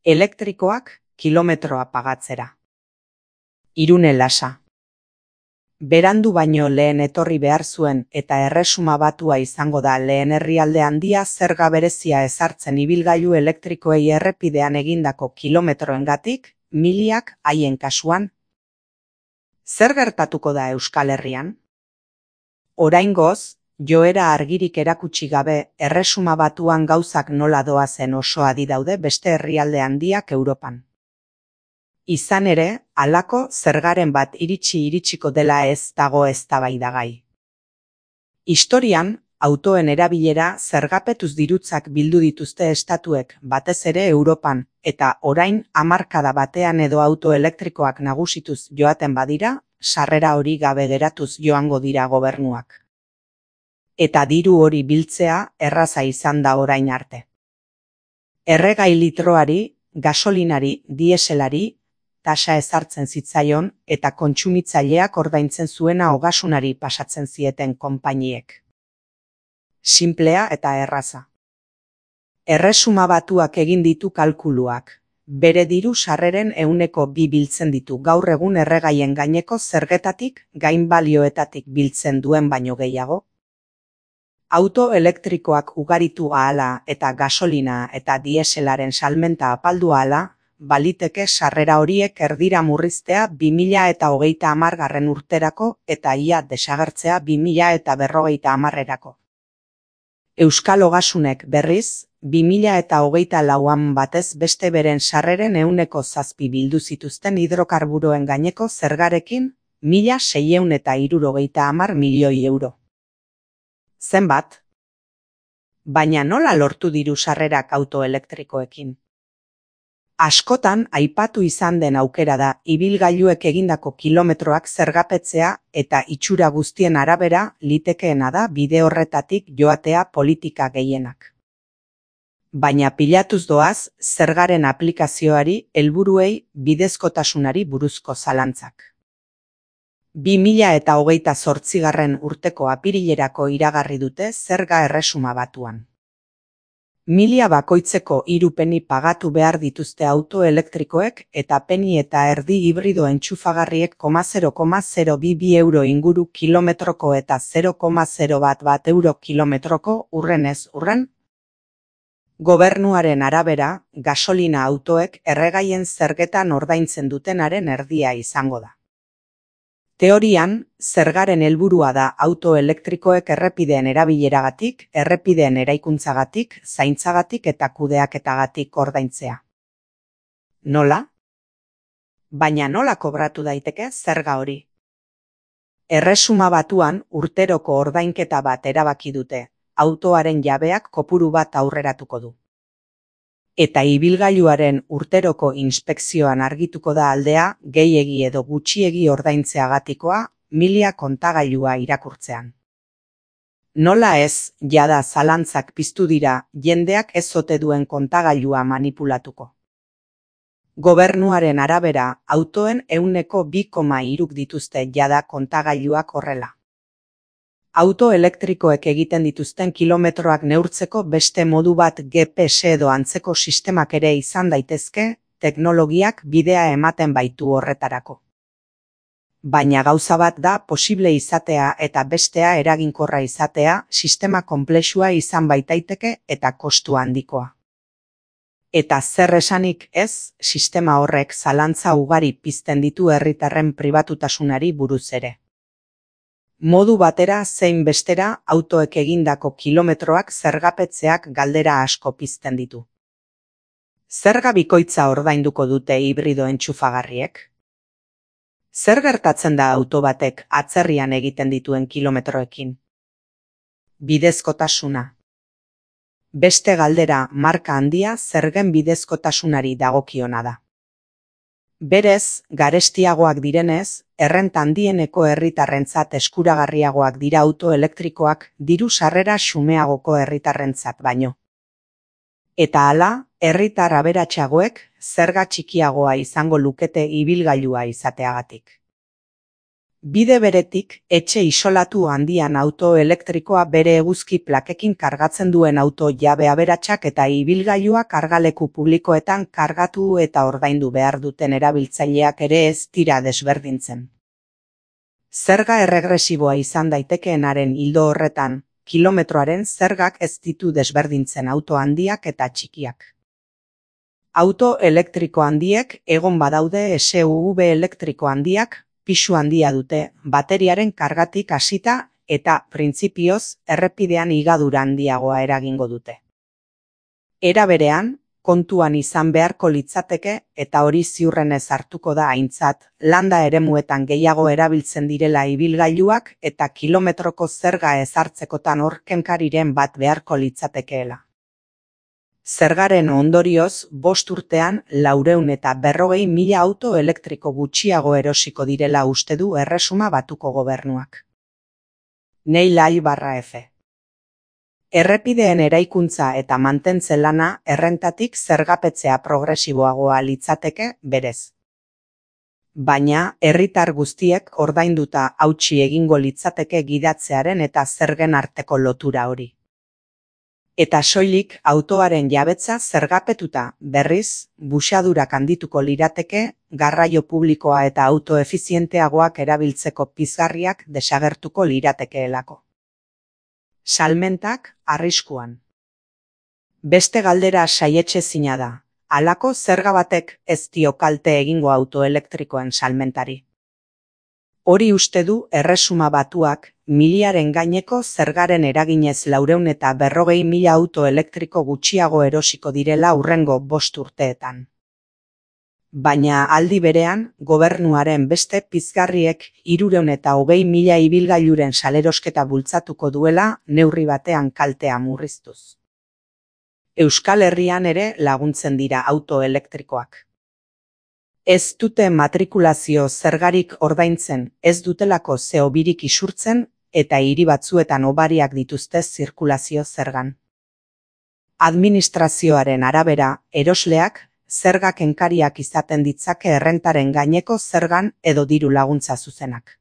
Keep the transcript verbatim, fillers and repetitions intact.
Elektrikoak kilometroa pagatzera. Irune Lasa. Berandu baino lehen etorri behar zuen eta Erresuma Batua izango da lehen herrialde handia zerga berezia ezartzen ibilgailu elektrikoei errepidean egindako kilometroengatik, miliak haien kasuan. Zer gertatuko da Euskal Herrian? Oraingoz, joera argirik erakutsi gabe, Erresuma Batuan gauzak nola doazen oso adi daude beste herrialde handiak Europan. Izan ere, halako zergaren bat iritsi iritsiko dela ez dago eztabaidagai. Historian, autoen erabilera zergapetuz dirutzak bildu dituzte estatuek batez ere Europan, eta orain hamarkada batean edo auto elektrikoak nagusituz joaten badira, sarrera hori gabe geratuz joango dira gobernuak. Eta diru hori biltzea erraza izan da orain arte. Erregai litroari, gasolinari, dieselari, tasa ezartzen zitzaion eta kontsumitzaileak ordaintzen zuena ogasunari pasatzen zieten konpainiek. Sinplea eta erraza. Erresuma Batuak egin ditu kalkuluak. Bere diru sarreren ehuneko bi biltzen ditu gaur egun erregaien gaineko zergetatik, gainbalioetatik biltzen duen baino gehiago. Auto elektrikoak ugaritu ahala eta gasolina eta dieselaren salmenta apaldu ahala, baliteke sarrera horiek erdira murriztea bi mila eta hogeita hamargarren urterako eta ia desagertzea bi mila eta berrogeita hamarrerako. Euskal Ogasunek berriz, bi mila eta hogeita lauan batez beste beren sarreren ehuneko zazpi bildu zituzten hidrokarburoen gaineko zergarekin, mila seiehun eta hirurogeita hamar milioi euro. Zenbat? Baina nola lortu diru sarrerak auto elektrikoekin? Askotan aipatu izan den aukera da ibilgailuek egindako kilometroak zergapetzea eta itxura guztien arabera litekeena da bide horretatik joatea politika gehienak. Baina pilatuz doaz zergaren aplikazioari, helburuei, bidezkotasunari buruzko zalantzak. bi mila eta hogeita zortzigarren urteko apirilerako iragarri dute zerga Erresuma Batuan. Milia bakoitzeko hiru peni pagatu behar dituzte auto elektrikoek eta peni eta erdi hibrido entxufagarriek zero koma zero bi bi euro inguru kilometroko eta zero koma zero bat bat euro kilometroko urrenez urren. Gobernuaren arabera, gasolina autoek erregaien zergetan ordaintzen dutenaren erdia izango da. Teorian, zergaren helburua da auto elektrikoek errepideen erabileragatik, errepideen eraikuntzagatik, zaintzagatik eta kudeaketagatik ordaintzea. Nola? Baina nola kobratu daiteke zerga hori? Erresuma Batuan urteroko ordainketa bat erabaki dute, autoaren jabeak kopuru bat aurreratuko du. Eta ibilgailuaren urteroko inspekzioan argituko da aldea, gehiegi edo gutxiegi ordaintzeagatikoa, milia kontagailua irakurtzean. Nola ez, jada zalantzak piztu dira, jendeak ez ote duen kontagailua manipulatuko. Gobernuaren arabera, autoen ehuneko bi koma hiruk dituzte jada kontagailuak horrela. Auto elektrikoek egiten dituzten kilometroak neurtzeko beste modu bat G P S edo antzeko sistemak ere izan daitezke, teknologiak bidea ematen baitu horretarako. Baina gauza bat da posible izatea eta bestea eraginkorra izatea, sistema konplexua izan baitaiteke eta kostu handikoa. Eta zer esanik ez, sistema horrek zalantza ugari pizten ditu herritarren pribatutasunari buruz ere. Modu batera zein bestera autoek egindako kilometroak zergapetzeak galdera asko pizten ditu. Zerga bikoitza ordainduko dute hibrido entxufagarriek? Zer gertatzen da auto batek atzerrian egiten dituen kilometroekin? Bidezkotasuna. Beste galdera marka handia zergen bidezkotasunari dagokiona da. Berez, garestiagoak direnez, errenta handieneko herritarrentzat eskuragarriagoak dira auto elektrikoak diru sarrera xumeagoko herritarrentzat baino. Eta hala, herritar aberatsagoek zerga txikiagoa izango lukete ibilgailua izateagatik. Bide beretik, etxe isolatu handian auto elektrikoa bere eguzki plakekin kargatzen duen auto jabe aberatsak eta ibilgailua kargaleku publikoetan kargatu eta ordaindu behar duten erabiltzaileak ere ez dira desberdintzen. Zerga erregresiboa izan daitekeenaren ildo horretan, kilometroaren zergak ez ditu desberdintzen auto handiak eta txikiak. Auto elektriko handiek egon badaude S U V elektriko handiak, pisu handia dute, bateriaren kargatik hasita eta printzipioz errepidean higadura handiagoa eragingo dute. Era berean, kontuan izan beharko litzateke eta hori ziurrenez hartuko da aintzat, landa eremuetan gehiago erabiltzen direla ibilgailuak eta kilometroko zerga ezartzekotan hor kenkariren bat beharko litzatekeela. Zergaren ondorioz, bost urtean laurehun eta berrogei mila auto elektriko gutxiago erosiko direla uste du Erresuma Batuko gobernuak. Neilai barra F. Errepideen eraikuntza eta mantentze lana errentatik zergapetzea progresiboagoa litzateke berez. Baina, herritar guztiek ordainduta hautsi egingo litzateke gidatzearen eta zergen arteko lotura hori. Eta soilik autoaren jabetza zergapetuta, berriz, buxadurak handituko lirateke, garraio publikoa eta auto efizienteagoak erabiltzeko pizgarriak desagertuko liratekeelako. Salmentak arriskuan. Beste galdera saietsezina da, halako zerga batek ez dio kalte egingo auto elektrikoen salmentari. Hori uste du Erresuma Batuak miliaren gaineko zergaren eraginez laurehun eta berrogei mila auto elektriko gutxiago erosiko direla hurrengo bost urteetan. Baina aldi berean, gobernuaren beste pizgarriek hirurehun eta hogei mila ibilgailuren salerosketa bultzatuko duela neurri batean kaltea murriztuz. Euskal Herrian ere laguntzen dira auto elektrikoak. Ez dute matrikulazio zergarik ordaintzen, ez dutelako C O birik isurtzen eta hiri batzuetan hobariak dituzte zirkulazio zergan. Administrazioaren arabera, erosleak, zerga kenkariak izaten ditzake errentaren gaineko zergan edo diru laguntza zuzenak.